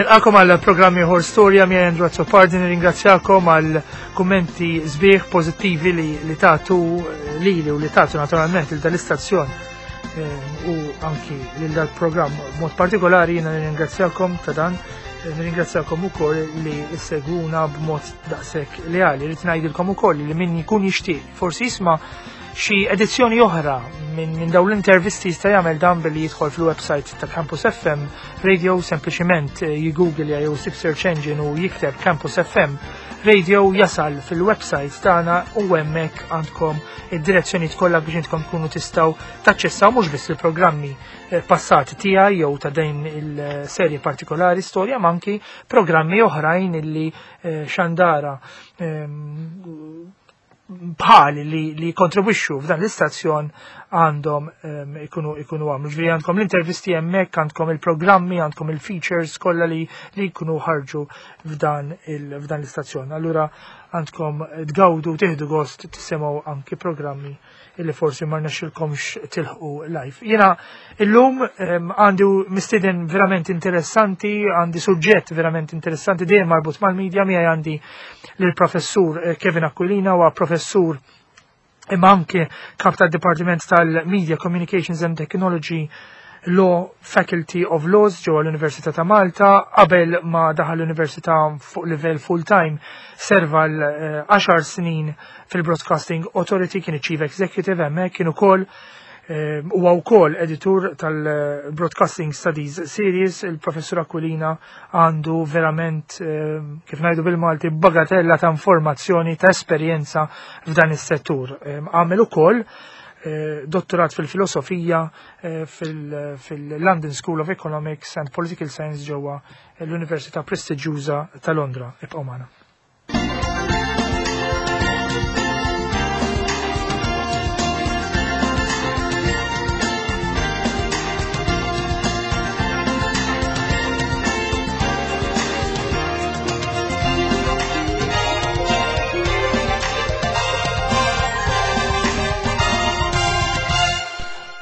Nilqakom għal programm ieħor storja miegħi Andrew Azzopardi, nirringrazzjakom għal kummenti sbieħ pożittivi li, li tagħtu lili u li tagħtu naturalment il dal-istazzjon eh, u anki lil dal-programm mod partikolari jiena nirringrazzjakom ta' dan eh, nirringrazzjakom ukoll li issegwuna b'mod daqshekk leali. Rrid ngħidilkom ukoll li min jkun jixtieq forsi jisma' xi edizzjoni oħra minn min dawn l-intervisti jista' jagħmel dan billi jidħol fil-website ta' Campus FM Radio sempliċiment eh, jigoogle jew sib search engine u jikteb Campus FM Radio jasal fil-website tagħna u hemmhekk għandkom id-direzzjonijiet kollha biex intkom tkunu tistgħu taċċessaw mhux biss il-programmi eh, passati tiegħi jew ta' din il-serje partikolari storja ma anki programmi oħrajn illi eh, xandara ehm, bħali li, li kontribwixxu f'dan l-istazzjon għandhom ehm, ikunu ikunu għamlu. Ġifieri għandkom l-intervisti hemmhekk, għandkom il-programmi, għandkom il-features kollha li li jkunu ħarġu f'dan f'dan l-istazzjon. Allura għandkom tgawdu tieħdu gost tisimgħu anki programmi illi forsi ma rnexxilkomx tilħqu live. Jiena illum ehm, għandi mistieden verament interessanti, għandi suġġett verament interessanti dejjem marbut mal-medja miegħi għandi lill-professur eh, Kevin Aquilina huwa professur imma anke kap tad-Dipartiment tal-Media Communications and Technology Law Faculty of Laws ġewwa l-Università ta' Malta qabel ma daħal l-Università fuq livell full-time serva l-10 eh, snin fil-Broadcasting Authority kien Chief Executive hemmhekk kien ukoll eh, huwa wkoll editur tal-Broadcasting Studies Series, il-Professur Aquilina għandu verament eh, kif ngħidu bil-Malti bagatella ta' informazzjoni ta' esperjenza f'dan is-settur. Eh, għamel ukoll dottorat fil-filosofija fil-London School of Economics and Political Science ġewwa l-Università prestiġjuża ta' Londra. Ibqgħu magħna.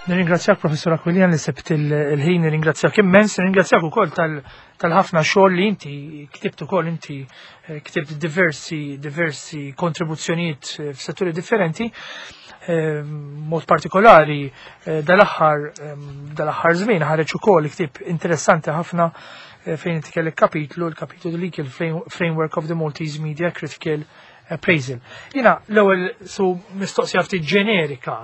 Nirringrazzjak Professor Aquilian li sebt il-ħin, nirringrazzjak immens, nirringrazzjak ukoll tal-ħafna xogħol li inti ktibt ukoll inti eh, ktibt diversi diversi kontribuzzjonijiet eh, f'setturi differenti eh, mod partikolari dal-aħħar dal-aħħar żmien ħareġ ukoll ktieb interessanti ħafna fejn inti kellek kapitlu, il-kapitlu Legal Framework of the Maltese Media Critical Appraisal. Jina, l-ewwel su mistoqsija ftit ġenerika,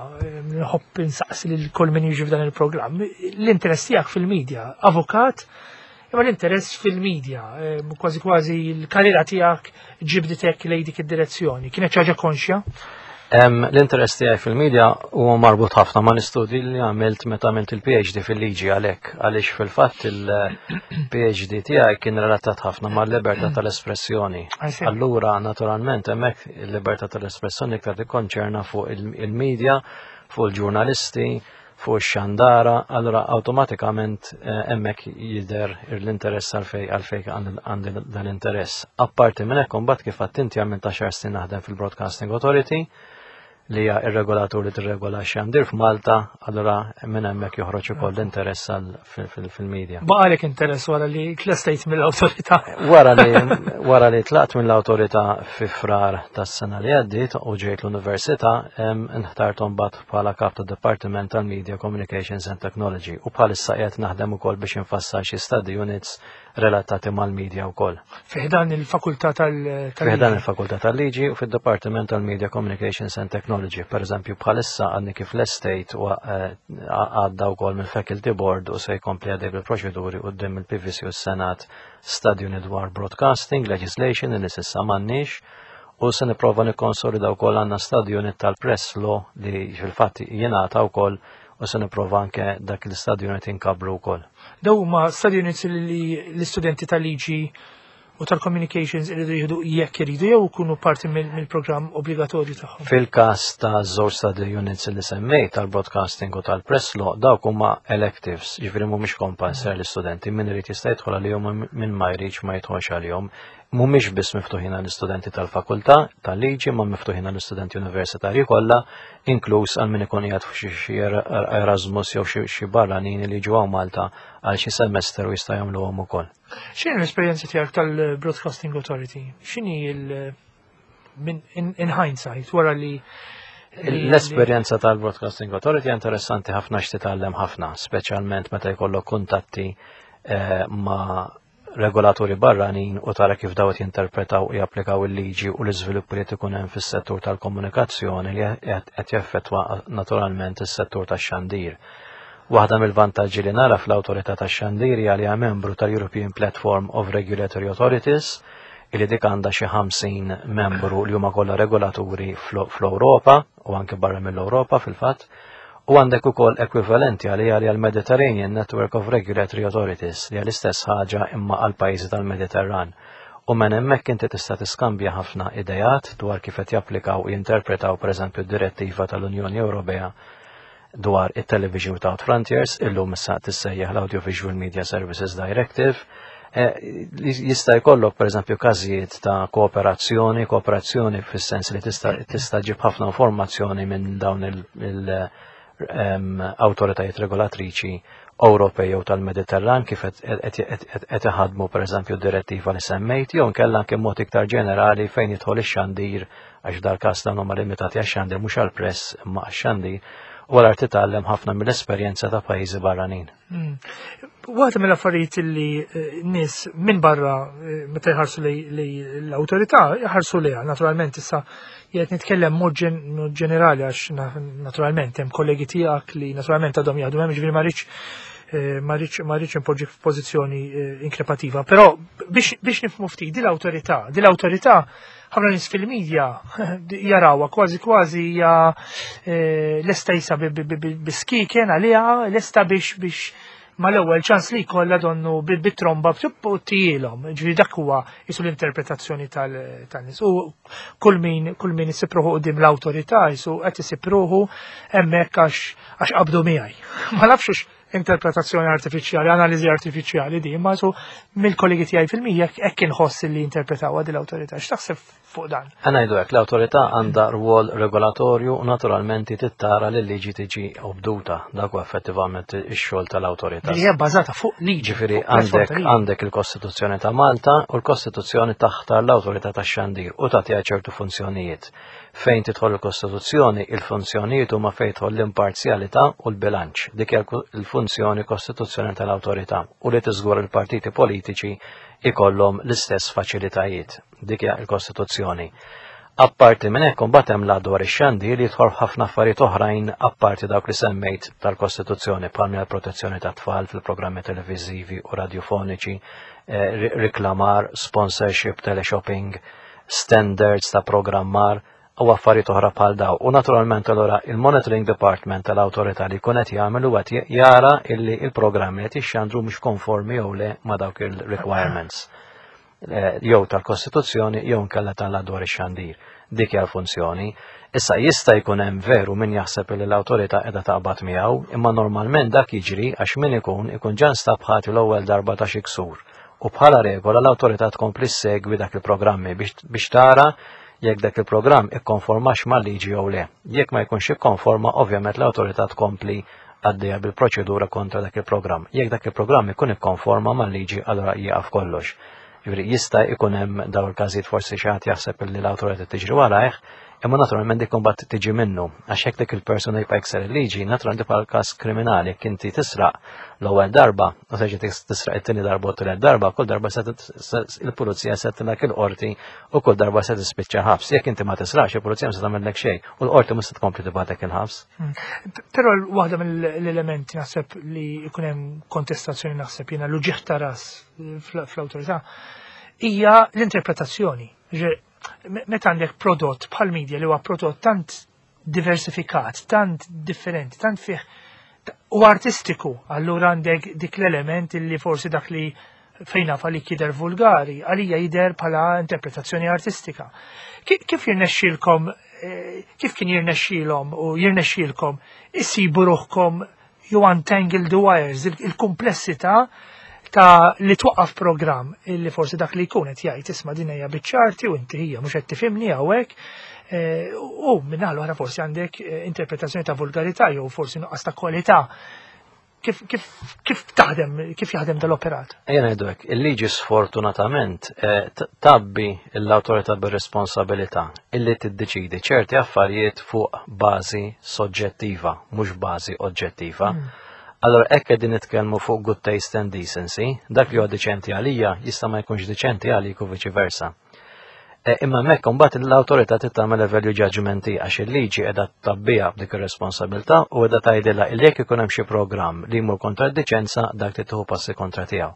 nħobb insaqsi lil kull min jiġi f'dan il-programm, l-interess tiegħek fil-medja, avukat, imma l-interess fil-medja, eh, kważi kważi l-karriera tiegħek ġibditek lejn dik id-direzzjoni. Kienet ħaġa konxja? L-interess tiegħi fil-medja huwa marbut ħafna ma' l-istudji li għamilt meta għamilt il-PhD fil-liġi għalhekk għaliex fil-fatt il-PhD tiegħi kien relatat ħafna mal-libertà tal-espressjoni. Allura naturalment hemmhekk il-libertà tal-espressjoni iktar tikkonċerna fuq il-medja, fuq il-ġurnalisti, fuq ix-xandara, allura awtomatikament eh, hemmhekk jidher l-interess għalfej għalfej għandi dan interess. Apparti minn hekk imbagħad kif għadt inti għamilt għaxar snin naħdem fil-Broadcasting Authority, li hija ir-regolatur li tirregola xandir f'Malta, allura minn hemmhekk joħroġ ukoll l-interess fil-medja. Baqalek interess wara li tlestejt mill-awtorità. Wara li wara li tlaqt mill-awtorità fi frar tas-sena li għaddiet u ġejt l-università, nħtart mbagħad bħala kap ta' Dipartiment tal-Media Communications and Technology u bħalissa qiegħed naħdem ukoll biex infassal xi study units relatati mal-media wkoll. Fi ħdan il-Fakultà tal-Liġi. Fi ħdan il-Fakultà tal-Liġi u fid-Dipartiment tal-Media Communications and Technology. Per eżempju, bħalissa għadni kif l-estate u eh, għadda wkoll mill-Faculty Board u se jkompli għaddej bil-proċeduri quddiem il-PVC u s-Senat study unit dwar broadcasting, legislation li s'issa m'għandniex u se nipprova nikkonsolida wkoll għandna study unit tal-press law li fil-fatt jingħata wkoll u se nipprova anke dak l-study unit inkabru wkoll. Daw huma study units li l-istudenti tal-liġi u tal-communications iridu jieħdu jekk iridu jew ikunu parti mill-programm obbligatorju tagħhom. Fil-każ ta' żewġ study units li semmejt tal-broadcasting u tal-press law dawk huma electives, jiġifieri mhumiex compulsory l-istudenti, min irid jista' jidħol għalihom min ma jridx ma jidħolx għalihom. Mhumiex biss miftuħin għall-istudenti tal-fakultà tal-liġi, ma miftuħin għall-istudenti universitarji kollha, inkluż għal min ikun qiegħed f'xi xi Erasmus jew xi barranin li jiġu hawn Malta għal xi semester u jista' jagħmluhom ukoll. X'inhi l-esperjenza tiegħek tal-Broadcasting Authority? X'inhi il in hindsight wara li L-esperjenza tal-Broadcasting Authority interessanti ħafna x'titgħallem ħafna, speċjalment meta jkollok kuntatti ma' regolaturi barranin u tara kif dawt jinterpretaw u japplikaw il-liġi u l-iżviluppi li ikun hemm fis-settur tal-komunikazzjoni li qed jaffettwa naturalment is-settur tax-xandir. Waħda mill-vantaġġi li nara fl-Awtorità tax-Xandir hija li hija membru tal-European Platform of Regulatory Authorities, illi dik għandha xi 50 membru li huma kollha regolaturi fl-Ewropa u anke barra mill-Ewropa fil-fatt. U għandek ukoll ekwivalenti għalija li għal-Mediterranean Network of Regulatory Authorities li għal-istess ħaġa imma għal pajjiżi tal-Mediterran. U minn hemmhekk inti tista' tiskambja ħafna idejat dwar kif qed japplikaw u jinterpretaw pereżempju d-direttiva tal-Unjoni Ewropea dwar it-Television Without Frontiers, illum issa tissejjaħ l-Audiovisual Media Services Directive. Jista' jkollok pereżempju każijiet ta' kooperazzjoni, kooperazzjoni fis-sens li tista' ġib ħafna informazzjoni minn dawn il-awtoritajiet regolatriċi Ewropej jew tal-Mediterran kif qed iħadmu pereżempju d-direttiva li semmejt, jew inkella anke mod iktar ġenerali fejn jidħol ix-xandir, għax dal-każ dan huma limitati għax-xandir mhux għall-press imma għax-xandir, u għal titgħallem ħafna mill-esperjenza ta' pajjiżi barranin. Waħda mill-affarijiet li nies minn barra meta jħarsu li l-awtorità jħarsu liha, naturalment issa jgħid nitkellem mod ġenerali għax naturalment hemm kollegi tiegħek li naturalment għadhom jaħdmu hemm, ġifieri ma rridx impoġġi f'pożizzjoni inkrepativa, però biex nifhmu ftit din l-awtorità ħafna nies fil-medja jarawha kważi kważi hija lesta jisa biskiken għaliha, lesta biex mal-ewwel ċans li jkollha donnu bit-tromba tielhom. Ġifieri dak huwa jisu l-interpretazzjoni tan-nies. U kull min isib ruħu quddiem l-awtorità jisu qed isib ruħu hemmhekk għax qabdu miegħi. Ma nafx interpretazzjoni artifiċjali, analiżi artifiċjali di, ma su mill-kollegi tiegħi fil-media hekk inħoss li interpretaw din l-awtorità. X'taħseb fuq dan? Ħa ngħidu hekk, l-awtorità għandha rwol regolatorju u naturalment tittara li l-liġi tiġi obduta. Dak huwa effettivament ix-xogħol tal-awtorità. Li hija bbażata fuq liġi. Ġifieri għandek il-Kostituzzjoni ta' Malta u l-Kostituzzjoni taħtar l-awtorità tax-xandir u tagħtiha ċertu funzjonijiet. Fejn tidħol il-Kostituzzjoni, il-funzjonijiet huma fejn tidħol l-imparzjalità u l-bilanċ. Dik hija l-funzjoni kostituzzjoni tal-awtorità u li tiżgur il-partiti politiċi ikollhom l-istess faċilitajiet. Dik hija l-Kostituzzjoni. Apparti minn hekk imbagħad hemm l dwar ix-xandir li jidħol ħafna affarijiet oħrajn apparti dawk li semmejt tal-Kostituzzjoni bħal l-protezzjoni tat-tfal fil-programmi televiżivi u radiofoniċi, riklamar, sponsorship, teleshopping, standards ta' programmar u affarijiet oħra bħal daw. U naturalment allura il-Monitoring Department tal-awtorità li jkun qed jagħmel huwa qed jara illi il-programmi qed jixxandru mhux konformi jew le ma' dawk il-requirements jew tal-Kostituzzjoni jew inkella tal-dwar ix-xandir. Dik hija l-funzjoni. Issa jista' jkun hemm veru min jaħseb li l-awtorità qiegħda taqbad miegħu, imma normalment dak jiġri għax min ikun ġa nstab ħati l-ewwel darba ta' xi ksur. U bħala regola l-awtorità tkompli segwi dak il-programmi biex tara jekk dak il-programm ikkonformax mal-liġi jew le. Jekk ma jkunx ikkonforma, ovvjament l-awtorità tkompli għaddejja bil-proċedura kontra dak il-programm. Jekk dak il-programm ikun ikkonforma mal-liġi, allura jieqaf kollox. Ġifieri jista' jkun hemm daw il-każijiet, forsi xi ħadd jaħseb li l-awtorità tiġri warajh, imma naturalment dik imbagħad tiġi minnu. Għax hekk dik il-persuna jibqa' jkser il-liġi, naturalment bħal każ kriminali, jekk inti tisraq l-ewwel darba u terġa' tisraq it-tieni darba u t-tielet darba, kull darba se il-pulizija se tilak il-qorti u kull darba se tispiċċa ħabs. Jekk inti ma tisraqx, il-pulizija ma se tagħmellek xejn u l-qorti mhux se tkompli tibgħatek il-ħabs. Però waħda mill-elementi naħseb li jkun hemm kontestazzjoni, naħseb jiena l-uġigħ ta' ras fl-awtorità hija l-interpretazzjoni. Meta għandek prodott bħal media li huwa prodott tant diversifikat, tant differenti, tant fih u artistiku, allura għandek dik l-element li forsi dak li fejna li jidher vulgari, għalija jidher bħala interpretazzjoni artistika. Kif jirnexxilkom, kif kien jirnexxilhom u jirnexxilkom issibu ruħkom you untangle the wires, il-komplessità? Ta' li twaqqaf programm illi forsi dak li jkun qed jgħid isma' din hija biċ-ċarti u inti hija mhux qed tifhimni hawnhekk. Eh, u minnaħa l-oħra forsi għandek eh, interpretazzjoni ta' vulgarità jew forsi nuqqas ta' kwalità. Kif, kif, kif taħdem, kif jaħdem dal-operat? Ejja ngħidu hekk, il-liġi sfortunatament eh, tabbi l-awtorità bir-responsabilità illi tiddeċidi ċerti affarijiet fuq bażi soġġettiva, mhux bażi oġġettiva. Allora hekk qegħdin nitkellmu fuq good taste and decency, dak li huwa diċenti għalija jista' ma jkunx diċenti għalik u viċi versa. E, imma hemmhekk imbagħad l-awtorità trid tagħmel value judgment għax il-liġi qiegħda tabbija b'dik ir-responsabilità u qiegħda tgħidilha li jekk ikun hemm xi programm li jmur kontra d-diċenza dak trid tieħu passi kontra tiegħu.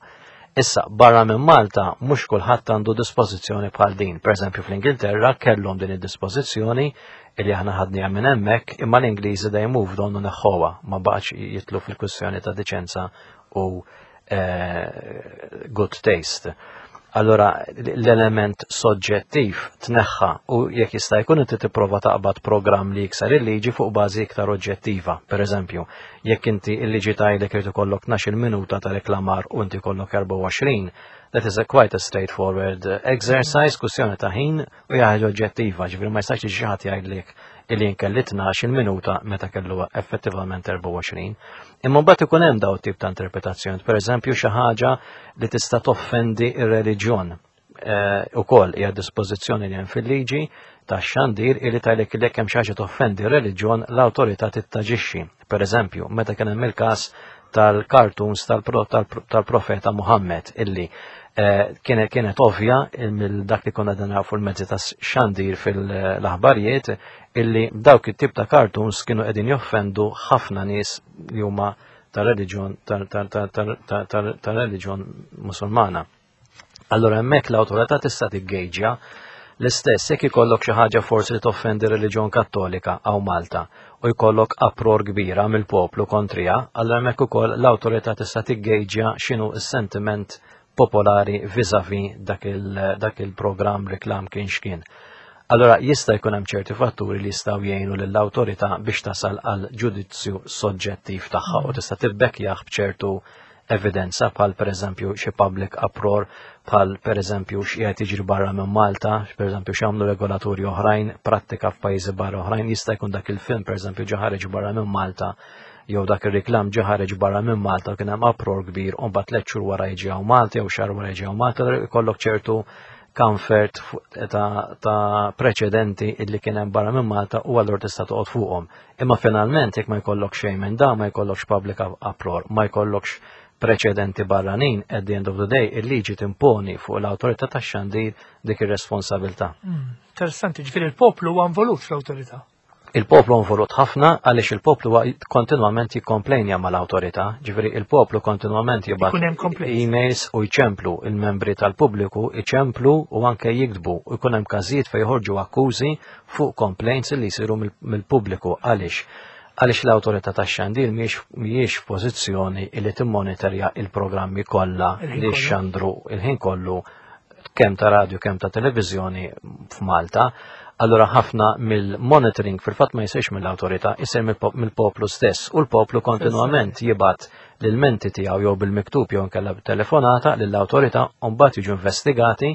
Issa, barra minn Malta, mhux kulħadd għandu dispożizzjoni bħal din. Pereżempju fl-Ingilterra kellhom din id-dispożizzjoni illi aħna ħadniha minn hemmhekk, imma l-Ingliżi dejjem moved on u neħħuha, ma baqgħetx jitlu fil-kwistjoni ta' diċenza u eh, good taste. Allora l-element soġġettiv tneħħa u jekk jista' jkun inti tipprova taqbad programm li jikser il-liġi fuq bażi iktar oġġettiva. Per eżempju, jekk inti il-liġi tgħidlek irid ikollok 12 minuta ta' reklamar u inti jkollok 24, that is a quite a straightforward exercise, kwistjoni ta' ħin u hija ħaġa oġġettiva, ġifieri ma jistax xi ħadd jgħidlek illi jien kelli 12 minuta meta kellu effettivament 24. Imma mbagħad ikun hemm daw tip ta' interpretazzjoni, pereżempju xi ħaġa li tista' toffendi ir-reliġjon. Eh, ukoll hija dispożizzjoni li hemm fil-liġi tax-xandir illi tgħidlek li jekk hemm xi ħaġa toffendi r-reliġjon l-awtorità tittaġixxi. Pereżempju, meta kien hemm il-każ tal-cartoons tal-profeta Muhammad illi eh, kienet kienet ovvja mill dak li konna dan fuq il-mezzi ta' xandir fil-aħbarijiet illi dawk it-tip ta' cartoons kienu qegħdin joffendu ħafna nies li huma tal-reliġjon tal-reliġjon Musulmana. Allura hemmhekk l-awtorità tista' tiggejġja l-istess jekk ikollok xi ħaġa forsi li toffendi reliġjon Kattolika hawn Malta u jkollok uproar kbira mill-poplu kontriha, allura hemmhekk ukoll l-awtorità tista' tiggejġja x'inhu s-sentiment popolari vis-a-vis dak il-programm reklam kien x'kien. Allora jista' jkun hemm ċerti fatturi li jistgħu jgħinu lill-awtorità biex tasal għal ġudizzju soġġettiv tagħha u tista' tibbekkjah b'ċertu evidenza bħal pereżempju xi public uproar, bħal pereżempju x'qiegħed jiġri barra minn Malta, pereżempju x'għamlu regolaturi oħrajn, prattika f'pajjiżi barra oħrajn, jista' jkun dak il-film pereżempju ġa ħareġ barra minn Malta jew dak ir-reklam ġa ħareġ barra minn Malta u kien hemm uproar kbir u mbagħad tliet xhur wara jiġi hawn Malta jew xahar wara jiġi hawn Malta, ikollok ċertu comfort ta', ta preċedenti illi kien hemm barra minn Malta u allura tista' toqgħod fuqhom. Imma finalment jekk ma jkollok xejn minn da, ma jkollokx public uproar, ma jkollokx preċedenti barranin, at the end of the day, il-liġi timponi fuq l-awtorità tax-xandir dik ir-responsabilità. Hmm, interessanti, ġifieri il-poplu huwa involut fl-awtorità. Il-poplu involut ħafna għaliex il-poplu kontinwament jikkomplejnja mal-awtorità, ġifieri il-poplu kontinwament jibgħat emails u jċemplu il-membri tal-pubbliku jċemplu u anke jiktbu u jkun hemm każijiet fejn joħorġu akkużi fuq complaints li jsiru mill-pubbliku. Għaliex? Għaliex l-awtorità tax-xandir mhijiex f'pożizzjoni li timmonitorja il-programmi kollha li xandru il-ħin kollu kemm ta' radju kemm ta' televiżjoni f'Malta. Allura ħafna mill-monitoring fil-fatt ma jsirx mill-awtorità, jsir mill-poplu stess u l-poplu kontinwament jibgħat l-ilmenti tiegħu jew bil-miktub jew inkella b'telefonata lill-awtorità u mbagħad jiġu investigati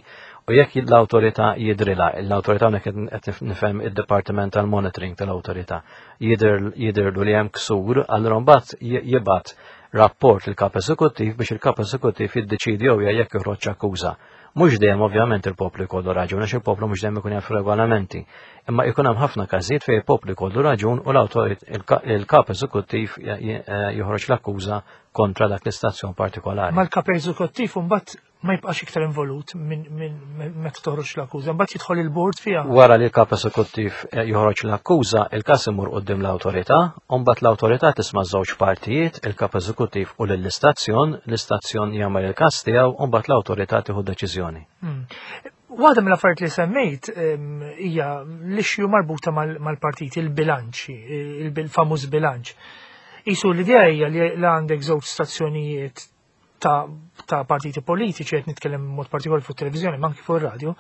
u jekk l-awtorità jidrilha, l-awtorità hawnhekk qed nifhem id-Dipartiment tal-Monitoring tal-Awtorità, jidhirlu li hemm ksur, allura mbagħad jibgħat rapport lill-Kap Eżekuttiv biex il-Kap Eżekuttiv jiddeċiedi jew jekk joħroġx akkuża. Mhux dejjem ovvjament il-poplu jkollu raġun għax il-poplu mhux dejjem ikun jaf regolamenti. Imma jkun hemm ħafna każijiet fejn il-poplu jkollu raġun u l-kap eżekuttiv joħroġ l-akkuża kontra dak l-istazzjon partikolari. Ma l-kap eżekuttiv mbagħad ma jibqax iktar involut minn meta toħroġ l-akkuża, mbagħad jidħol il-bord fiha. Wara li l-kap eżekuttiv eh, joħroġ l-akkuża, il-każ imur quddiem l-awtorità, u mbagħad l-awtorità tisma' żewġ partijiet, il-kap eżekuttiv u lill-istazzjon, l-istazzjon jagħmel il-każ tiegħu u mbagħad l-awtorità tieħu deċiżjoni. Hmm. Waħda mill-affarijiet li semmejt hija l-issue marbuta mal-partiti, il-bilanċ, il-famuż bilanċ. Isu l-idea hija li għandek żewġ stazzjonijiet ta', ta partiti politiċi, qed nitkellem mod partikolari fuq televiżjoni, ma anki fuq ir-radju,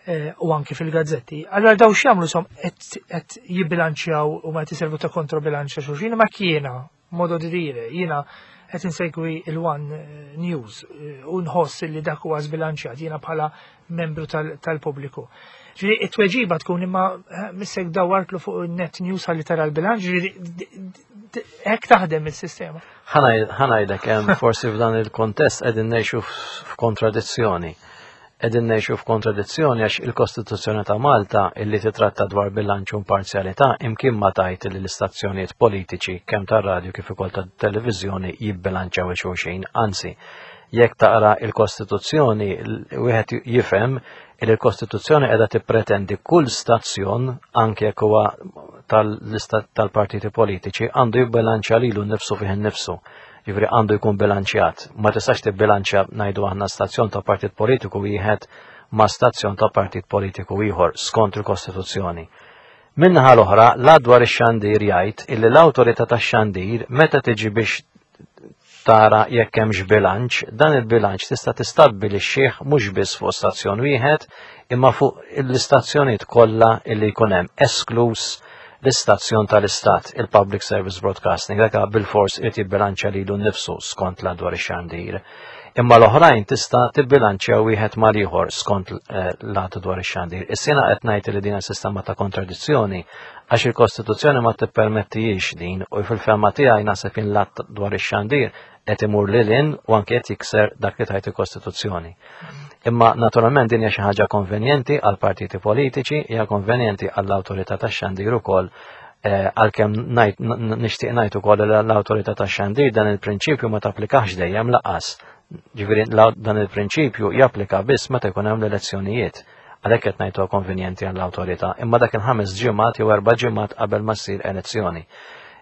eh, u anki fil-gazzetti. Allora daw x'jagħmlu som qed jibbilanċjaw u ma qed iservu ta' kontrobilanċ ta' xulxin, ma kiena, modo di dire, jiena qed insegwi il-One News u nħoss li dak huwa żbilanċjat jiena bħala membru tal-pubbliku. Ġifieri it-tweġiba tkun imma missek dawartlu fuq il-Net News ħalli tara l-bilanċ, ġifieri hekk taħdem is-sistema. Ħanajdek hemm forsi f'dan il-kontest qegħdin ngħixu f'kontradizzjoni. Qegħdin ngħixu f'kontradizzjoni għax il-Kostituzzjoni ta' Malta illi titratta dwar bilanċ u imparzjalità imkien ma tajt li l-istazzjonijiet politiċi kemm tar-radju kif ukoll tat-televiżjoni jibbilanċjaw il-xulxin, anzi, jekk taqra il-Kostituzzjoni wieħed jifhem li l-Kostituzzjoni qiegħda tippretendi kull stazzjon anke jekk huwa tal-lista tal-partiti politiċi għandu jibbilanċja lilu nnifsu fih innifsu. Jiġifieri għandu jkun bilanċjat. Ma tistax tibbilanċja ngħidu aħna stazzjon ta' partit politiku wieħed ma' stazzjon ta' partit politiku ieħor skont il-Kostituzzjoni. Min-naħa l-oħra, l-Att dwar ix-xandir jgħid illi l-awtorità tax-xandir meta tiġi biex tara jekk hemmx bilanċ, dan il-bilanċ tista' tistabbilixxih mhux biss fuq stazzjon wieħed, imma fuq l-istazzjonijiet kollha illi jkun hemm, eskluż l-istazzjon tal-Istat, il-Public Service Broadcasting, dak bilfors irid jibbilanċja lilu nnifsu skont l dwar ix-xandir. Imma l-oħrajn tista' tibbilanċja wieħed mal-ieħor skont eh, l-att dwar ix-xandir. Is-sena qed ngħid li din sistema ta' kontradizzjoni għax il-Kostituzzjoni ma tippermettijiex din u fil-fehma tiegħi naħseb jien l-att dwar ix-xandir qed imur lil hinn u anke qed jikser dak li tajt il-Kostituzzjoni. Imma naturalment din hija xi ħaġa konvenjenti għal partiti politiċi, hija konvenjenti għall-awtorità tax-xandir ukoll eh, għalkemm nixtieq ngħid ukoll li l-awtorità tax-xandir dan il-prinċipju ma tapplikax dejjem laqas. Ġifieri dan il-prinċipju japplika biss meta jkun hemm l-elezzjonijiet. Għalhekk qed ngħidu konvenjenti għall-awtorità, imma dak il-ħames ġimgħat jew erba' ġimgħat qabel ma ssir elezzjoni.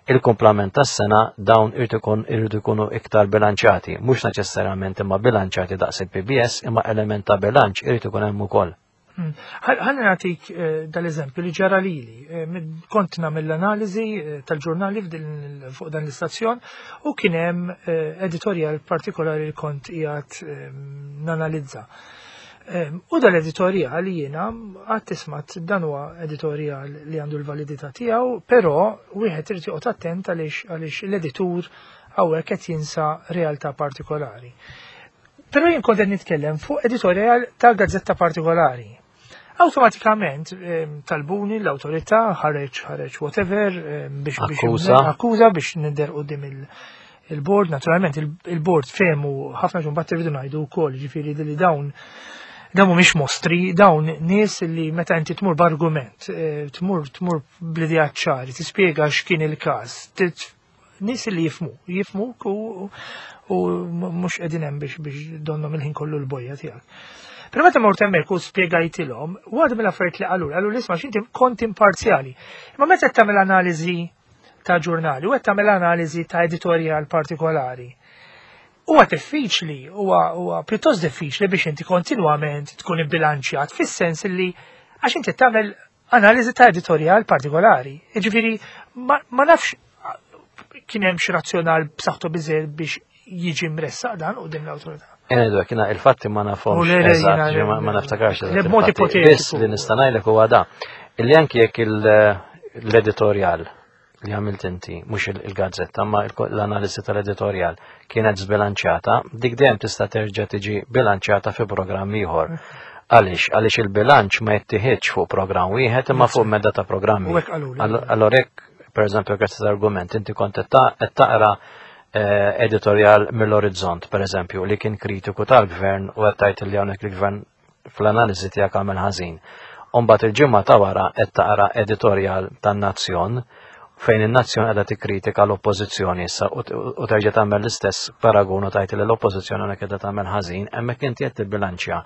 Il-kumplament tas-sena dawn irridu jkunu iktar bilanċjati, mhux neċessarjament imma bilanċjati daqs il-PBS, imma element ta' bilanċ irid ikun hemm ukoll. Hmm. Ħalli nagħtik eh, dal-eżempju li ġara lili. Eh, kont nagħmel l-analiżi eh, tal-ġurnali fuq dan l-istazzjon u kien hemm editorjal partikolari li kont qiegħed nanalizza. U dal-editorjal jiena għad tismat dan huwa editorjal li għandu l-validità tiegħu, però wieħed irid joqgħod attent għaliex għaliex l-editur hawnhekk qed jinsa realtà partikolari. Però jien kont qed nitkellem fuq editorjal ta' gazzetta partikolari. Awtomatikament talbuni l-awtorità ħareġ ħareġ whatever biex biex akkuża biex nidher quddiem il-board, naturalment il-board fehmu ħafna ġun bat irridu ngħidu wkoll, ġifieri li dawn dawn mhumiex mostri, dawn nies li meta inti tmur b'argument, eh, tmur tmur bl-idea ċari, tispjega x'kien il-każ, nies li jifmu, jifmu u mhux qegħdin hemm biex biex donhom il-ħin kollu l-bojja tiegħek. Però meta mort hemmhekk u spjegajtilhom, waħda mill-affarijiet li qalu, qalu l-isma' x'inti kont imparzjali. Imma meta tagħmel analiżi ta' ġurnali u qed tagħmel analiżi ta' editorjal partikolari. Huwa diffiċli, huwa pjuttost diffiċli biex inti kontinwament tkun ibbilanċjat fis-sens li għax inti tagħmel analiżi ta' editorjal partikolari. Jiġifieri ma, ma nafx kien hemm xi razzjonal b'saħħtu biżejjed biex jiġi mressaq dan quddiem l-awtorità. Edu, kina il-fatti ma nafhomx. Ma naftakarx. B'mod ipotetiku. Biss li nista' ngħidlek huwa da. Illi anki jekk l-editorjal li għamilt inti, mhux il-gazzetta, ma l-analiżi tal-editorjal kienet zbilanċjata, dik dejjem tista' terġa' tiġi bilanċjata fi programm ieħor. Għaliex? Għaliex il-bilanċ ma jittieħedx fuq programm wieħed imma fuq medda ta' programmi. Allora jekk, per eżempju, grazzi argument inti kont qed taqra eh, editorjal mill-Orizzont, per eżempju, li kien kritiku tal-gvern u qed tgħid li hawnhekk il-gvern fl-analiżi tiegħek għamel ħażin. Umbagħad il-ġimgħa ta' wara qed taqra editorjal tan-Nazzjon fejn in-Nazzjon qiegħda tikkritika l-Oppożizzjoni issa u terġa' tagħmel l-istess paragun u tgħid li l-Oppożizzjoni hawnhekk qiegħda tagħmel ħażin, hemmhekk inti qed tibbilanċja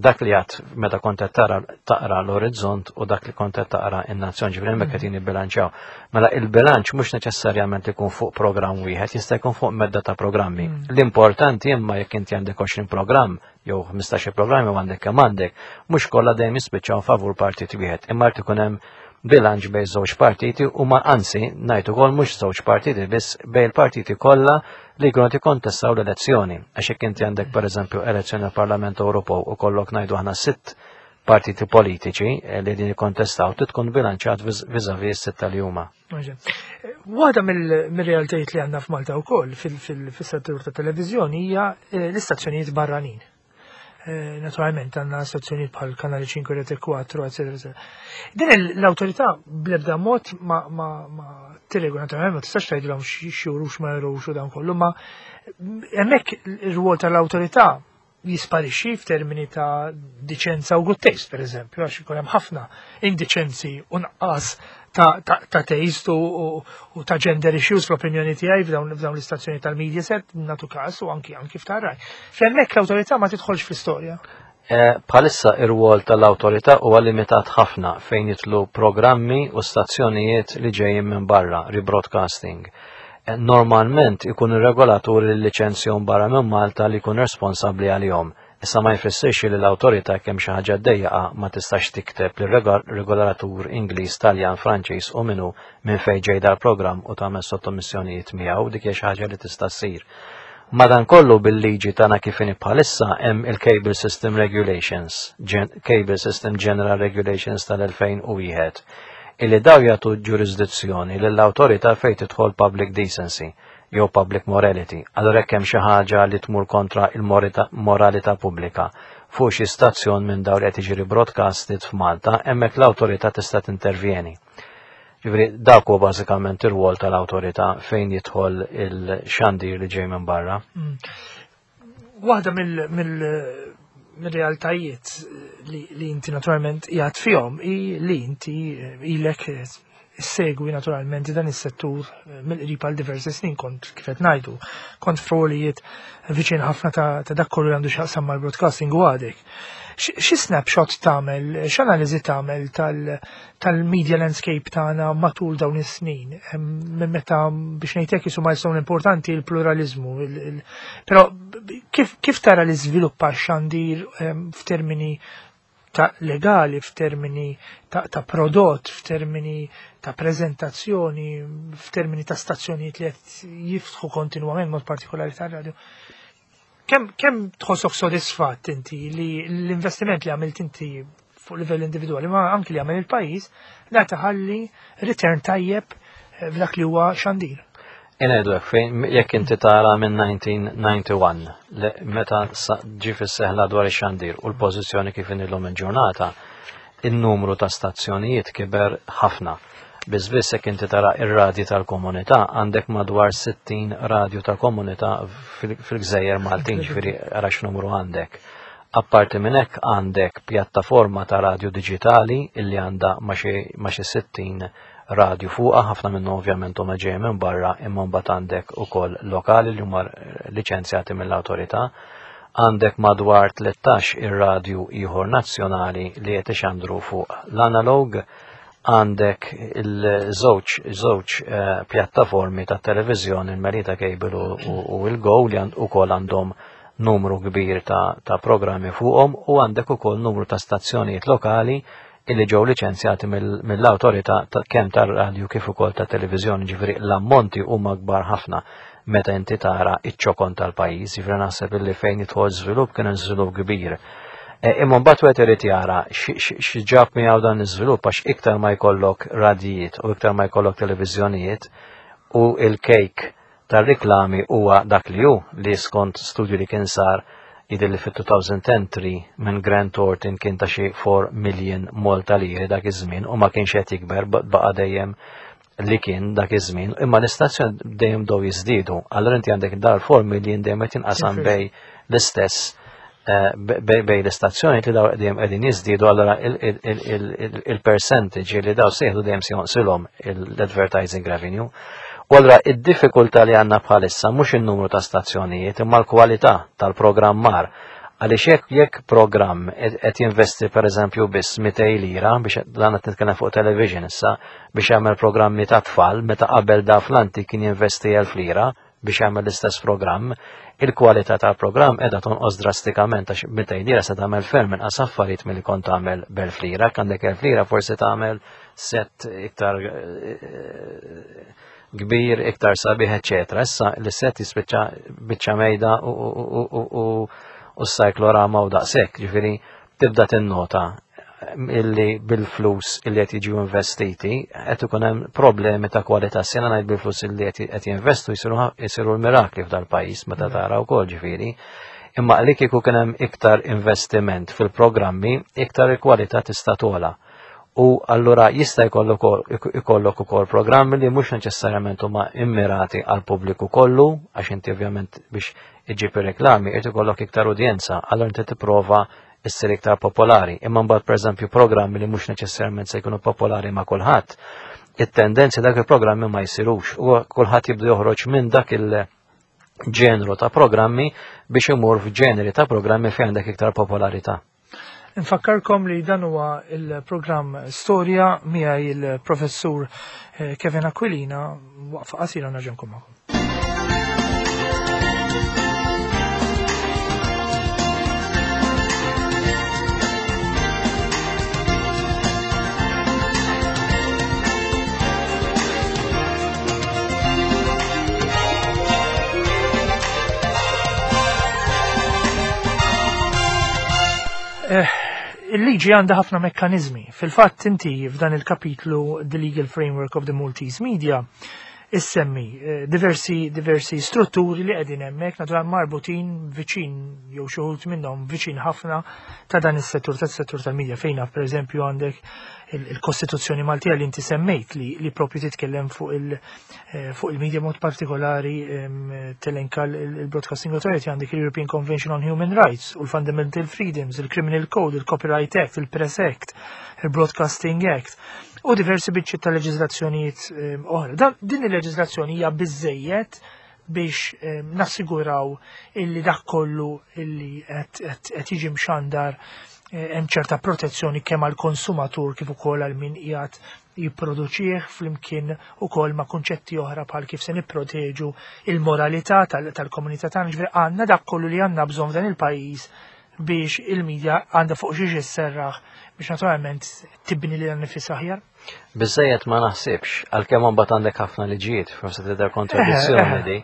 dak li għat meta kont qed tara taqra l-orizzont u dak li kont qed taqra in-nazzjon ġifieri hemmhekk qed jibbilanċjaw. Mela il-bilanċ mhux neċessarjament ikun fuq programm wieħed, jista' jkun fuq medda ta' programmi. Mm. L-importanti imma jekk inti għandek 20 programm jew 15 programm jew għandek kemm għandek, mhux kollha dejjem jispiċċaw favur partit wieħed, imma jrid ikun hemm bilanċ bejn żewġ partiti u ma anzi ngħid ukoll mhux żewġ partiti biss bejn il-partiti kollha li jkunu qed jikkontestaw l-elezzjoni. Għax jekk inti għandek pereżempju elezzjoni għall-Parlament Ewropew u kollok ngħidu aħna sitt partiti politiċi eh, li din jikkontestaw trid tkun bilanċjat viżavi s-sitta li huma. Waħda mill-realtajiet li għandna f'Malta wkoll fis-settur ta' televiżjoni hija eh, l-istazzjonijiet barranin. Eh, naturalment għandna stazzjonijiet bħal Kanali 5, Rete 4, eccetera. Din l-awtorità bl-ebda mod ma, ma, ma tirregola naturalment ma tistax tgħidilhom x'jurux ma jurux u dan kollu, ma hemmhekk ir-rwol tal-awtorità jisparixxi f'termini ta' diċenza u good taste, per eżempju, għax ikun hemm ħafna indiċenzi u nqqas ta', ta, ta taste u, u, u ta' gender issues fl-opinjoni tiegħi f'dawn l-istazzjoni tal-Mediaset natu każ u anki anki f'tar-Rai. F'hemmhekk l-awtorità ma tidħolx fl-istorja. Eh, bħalissa ir-rwol tal-awtorità huwa limitat ħafna fejn jitlu programmi u stazzjonijiet li ġejjin minn barra, rebroadcasting. Eh, normalment ikun ir-regolatur li liċenzjom barra minn Malta li jkun responsabbli għalihom. Issa ma jfissirx li l-awtorità kemm xi ħaġa ddejjaqa ma tistax tikteb lir-regolatur Ingliż, Taljan, Franċiż u minnu minn fejn ġej dal-programm u tagħmel sottomissjonijiet miegħu dik hija xi ħaġa li tista' ssir. Madankollu bil-liġi tagħna kif inhi bħalissa hemm il-Cable System Regulations, Cable System General Regulations tal-2001, illi daw jagħtu ġurisdizzjoni lill-awtorità fejn tidħol public decency jew public morality. Allura jekk hemm xi ħaġa li tmur kontra il-moralità pubblika fuq xi stazzjon minn dawn li qed jiġri broadcasted f'Malta, hemmhekk l-awtorità tista' tintervjeni. Ġifieri dak huwa bażikament ir-rwol tal-awtorità fejn jidħol il-xandir li ġej minn barra. Mm. Waħda mill-realtajiet li inti naturalment jgħat fihom hi li inti ilek segwi naturalment dan is-settur mill-qrib għal diversi snin kont kif qed ngħidu, kont f'rolijiet viċin ħafna ta' dak kollu li għandu x'jaqsam mal-broadcasting u għadek. Xi snapshot tagħmel, x'analiżi tagħmel tal-media landscape tagħna matul dawn is-snin? Minn meta biex ngħidlek isu milestone importanti l-pluralizmu. Però kif, kif tara li żviluppa x-xandir f'termini ta' legali, f'termini ta', ta prodott, f'termini ta' prezentazzjoni, f'termini ta' stazzjonijiet li qed jiftħu kontinwament mod partikolari tar-radio. Kemm kem tħossok sodisfatt inti li l-investiment li għamilt inti fuq livell individwali, ma anki li għamil il-pajjiż, la taħalli return tajjeb eh, f'dak li huwa xandir. Inajdu hekk fejn jekk inti tara minn 1991 li meta ġi fis-seħla dwar ix-xandir u l-pożizzjoni kif inilhom il-ġurnata, in-numru ta' stazzjonijiet kiber ħafna. Biss biss jekk inti tara ir-radji tal-komunità għandek madwar 60 radju ta' komunità fil-gżejjer Maltin, ġifieri ara x'numru għandek. Apparti minn hekk għandek pjattaforma ta' radju diġitali illi għandha ma' xi 60 radju fuqha, ħafna minnhom ovvjament huma ġejjin minn barra imma mbagħad għandek ukoll lokali li huma liċenzjati mill-awtorità. Għandek madwar 13 ir-radju ieħor nazzjonali li qed ixandru fuq l-analog għandek il-żewġ żewġ eh, pjattaformi ta' televiżjoni il-Melita Cable u il-Go li ukoll għandhom numru kbir ta', ta programmi fuqhom u għandek ukoll numru ta' stazzjonijiet lokali illi ġew liċenzjati mill-awtorità kemm tar-radju kif ukoll ta' televiżjoni, ġifieri l-ammonti huma kbar ħafna meta inti tara iċ-ċokon tal-pajjiż, ġifieri naħseb illi fejn jidħol żvilupp kien hemm żvilupp kbir. E, imma mbagħad wieħed irid jara x'ġab miegħu dan l-iżvilupp għax iktar ma jkollok radijiet u iktar ma jkollok televiżjonijiet u il-kejk tar-riklami huwa dak li hu li skont studju li kien sar jidher li fit-2010 minn Grant Thornton kien ta' xi 4 million Malta liri dak iż-żmien u ma kienx qed jikber baqa' dejjem li kien dak iż-żmien, imma l-istazzjon dejjem dow jiżdiedu. Allura inti għandek dar 4 million dejjem qed jinqasam bej l-istess eh, bej l-istazzjoni li daw dejjem qegħdin jiżdiedu allura il-percentage li daw sejħdu dejjem se jonqsilhom l-advertising revenue. U allura id-diffikultà li għandna bħalissa mhux in-numru ta' stazzjonijiet imma l-kwalità tal-programmar Għaliex jekk jekk programm qed jinvesti pereżempju biss 200 lira biex dan qed nitkellem fuq television issa biex jagħmel programmi ta' tfal meta qabel da fl-antik kien jinvesti 1000 lira biex jagħmel l-istess programm, il-kwalità tal-programm qiegħda tonqos drastikament għax 200 lira se tagħmel ferm inqas affarijiet milli kont tagħmel b'elf lira, għandek 1000 lira forsi tagħmel set iktar eh, kbir, iktar sabiħ, eċetera. Issa l-set jispiċċa biċċa mejda u s-cyclorama u daqshekk, ġifieri tibda tinnota. illi bil-flus illi qed jiġu investiti qed ikun hemm problemi ta' kwalità. Sena ngħid bil-flus illi qed jinvestu jsiru l-mirakli f'dal-pajjiż meta mm. tara wkoll ġifieri. Imma li kieku kien hemm iktar investiment fil-programmi, iktar il-kwalità tista' togħla. U allura jista' jkollok ukoll programmi li mhux neċessarjament huma immirati għal pubbliku kollu, għax inti ovvjament biex iġġib ir-reklami irid ikollok iktar udjenza, allura inti tipprova issir iktar popolari. Imma mbagħad pereżempju programmi li mhux neċessarjament se jkunu popolari ma' kulħadd, it-tendenzi dak il-programmi ma jsirux u kulħadd jibda joħroġ minn dak il-ġenru ta' programmi biex imur f'ġeneri ta' programmi fejn għandek iktar popolarità. Nfakkarkom li dan huwa il-programm Storja miegħi il-professur eh, Kevin Aquilina waqfa qasira nerġa' nkun magħkom. Eh, il-liġi għandha ħafna mekkanizmi. Fil-fatt inti f'dan il-kapitlu The Legal Framework of the Maltese Media issemmi eh, diversi diversi strutturi li qegħdin hemmhekk naturalment marbutin viċin jew xi wħud minnhom viċin ħafna ta' dan is-settur tas-settur tal-medja fejn naf pereżempju għandek il-Kostituzzjoni Maltija li inti semmejt li, li propju titkellem fuq il eh, fuq il-media mod partikolari telenka il-Broadcasting Authority għandek il-European Convention on Human Rights u l-Fundamental Freedoms, il-Criminal Code, il-Copyright Act, il-Press Act, il-Broadcasting Act u diversi biċċiet ta' leġiżlazzjonijiet ehm, oħra. Din il-leġiżlazzjoni hija biżejjed biex ehm, nassiguraw illi dak kollu illi qed jiġi mxandar eh, hemm ċerta protezzjoni kemm għall konsumatur kif ukoll għal min qiegħed jipproduċih flimkien ukoll ma' kunċetti oħra bħal kif se nipproteġu il-moralità tal-komunità tagħna, ġifieri għandna dak kollu li għandna bżonn f'dan il-pajjiż biex il-media għandha fuq xiex isserraħ biex naturalment tibni lilha nifisha aħjar? Biżejjed ma naħsibx, għalkemm imbagħad għandek ħafna liġijiet, forsi tidher kontradizzjoni di.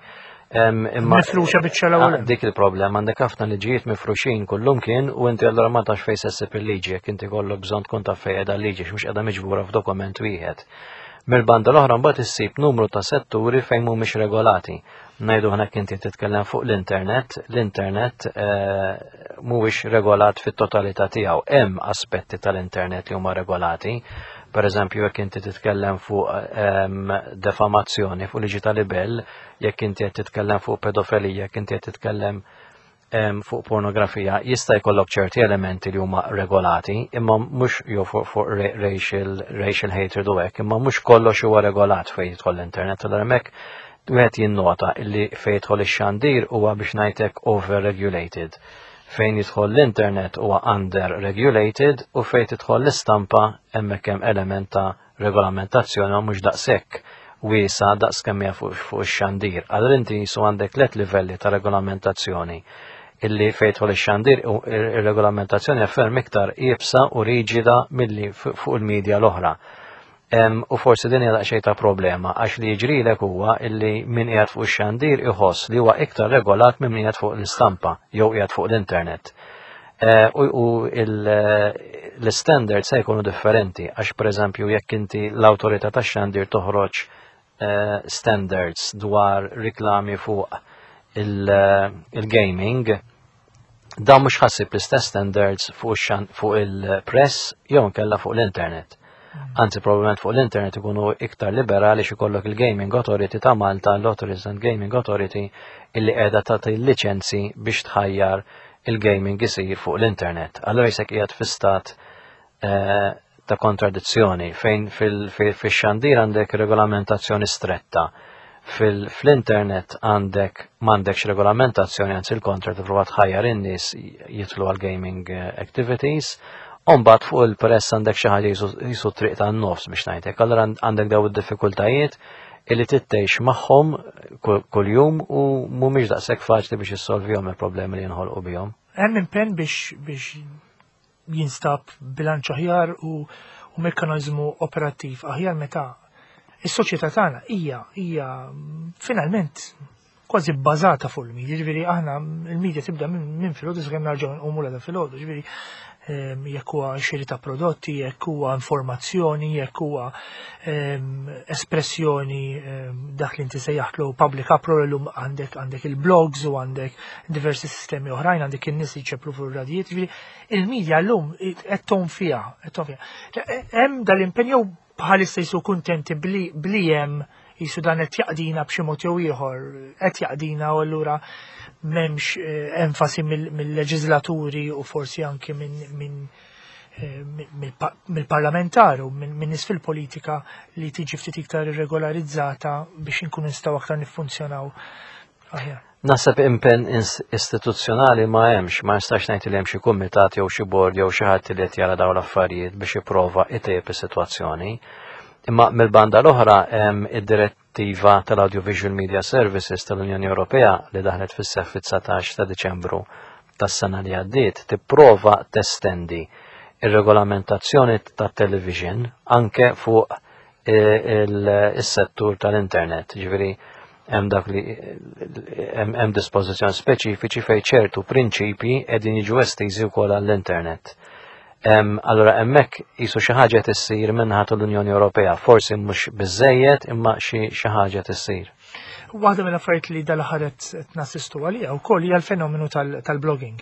Imma mifruxa biċċa l-ewwel. Ah, dik il-problema għandek ħafna liġijiet mifruxin kullum kien u inti allura ma tafx fejn se ssib il-liġi jekk inti kollok bżonn tkun taf fejn qiegħda l-liġi mhux qiegħda miġbura f'dokument wieħed. Mill-banda l-oħra mbagħad issib numru ta' setturi fejn mhumiex regolati. Ngħidu aħna inti titkellem fuq l-internet, l-internet eh, mhuwiex regolat fit-totalità tiegħu. Hemm aspetti tal-internet li huma regolati. Per eżempju, jekk inti titkellem fuq ehm, defamazzjoni, fuq liġi tal-libel, jekk inti qed titkellem fuq pedofilija, jekk inti qed titkellem ehm, fuq pornografija, jista' jkollok ċerti elementi li huma regolati, imma mhux jew fuq fu racial, racial hatred u hekk, imma mhux kollox huwa regolat fejn jidħol l-internet, allura hemmhekk wieħed jinnota illi fejn jidħol ix-xandir huwa biex ngħidlek over-regulated. Fejn jidħol l-internet huwa under-regulated u fejn tidħol l-istampa hemmhekk hemm element ta' regolamentazzjoni ma mhux daqshekk wiesa daqs kemm hija fuq ix-xandir. Allura inti jisu għandek tliet livelli ta' regolamentazzjoni illi fejn jidħol ix-xandir ir-regolamentazzjoni ferm iktar iebsa u riġida milli fuq il-medja l-oħra. U forsi din hija daqsxejn ta' problema għax li jiġrilek huwa illi min qiegħed fuq ix-xandir iħoss li huwa iktar regolat minn min qiegħed fuq l-istampa jew qiegħed fuq l-internet. Eh, u l-standards se jkunu differenti għax pereżempju jekk inti l-awtorità tax-xandir toħroġ eh, standards dwar riklami fuq il-gaming, dan mhux ħassib l-istess standards fuq il-press jew nkella fuq l-internet. Mm. Anzi, probabbilment fuq l-internet ikunu iktar liberali xi kollok il-Gaming Authority ta' Malta, l-Authorities and Gaming Authority, illi qiegħda tagħti liċenzi biex tħajjar il-gaming isir fuq l-internet. Allora jisek qiegħed fi stat eh, ta' kontradizzjoni fejn fil-xandir għandek regolamentazzjoni stretta. Fil-internet għandek m'għandekx regolamentazzjoni anzi l-kontra tipprova tħajjar in-nies jidħlu għal gaming eh, activities. Umbagħad fuq il-press għandek xi ħaġa jisu triq tan-nofs biex ngħidlek. Allura għandek daw id-diffikultajiet illi tittejx magħhom kuljum u mhumiex daqshekk faċli biex issolvihom il-problemi li jinħolqu bihom. Hemm impenn biex biex jinstab bilanċ aħjar u, u mekkaniżmu operattiv aħjar meta is-soċjetà tagħna hija hija finalment kważi bbażata fuq il-media, ġifieri aħna il-media tibda minn filgħodu sakemm narġgħu nqumu l filgħodu, ġifieri Jekk huwa xiri ta' prodotti, jekk huwa informazzjoni, jekk huwa espressjoni dak li inti sejjaħtlu public uproar illum għandek għandek il-blogs u għandek diversi sistemi oħrajn, għandek in-nies li jċeplu fuq ir-radijiet, ġifieri il-media llum qed tgħum fiha, qed tgħum fiha. Hemm dal-impenn jew bħalissa jisu kuntenti bli hemm jisu dan qed jaqdina b'xi mod jew ieħor, qed jaqdina u allura m'hemmx eh, enfasi mill-leġislaturi u forsi anki minn eh, mill-parlamentar u minn nies fil-politika li tiġi ftit iktar irregolarizzata biex inkunu nistgħu aktar niffunzjonaw aħjar. Naħseb impenn istituzzjonali ma hemmx, ma nistax ngħid li hemm xi kumitat jew xi bord jew xi ħadd li qed jara dawn l-affarijiet biex jipprova itejjeb is-sitwazzjoni. Imma mill-banda l-oħra hemm id-direttiva tal-Audiovisual Media Services tal-Unjoni Ewropea li daħlet fis-seħħ fit-19 ta' Diċembru tas-sena li għaddiet tipprova testendi ir-regolamentazzjoni tat-television anke fuq is-settur tal-internet, ġifieri hemm dak li hemm dispożizzjoni speċifiċi fejn ċertu prinċipji qegħdin jiġu estiżi wkoll għall-internet. Allura hemmhekk qisu xi ħaġa qed issir minnaħa tal-Unjoni Ewropea, forsi mhux biżejjed imma xi ħaġa issir. Waħda mill-affarijiet li dal-aħħar qed nassistu għaliha wkoll hija l-fenomenu tal-blogging.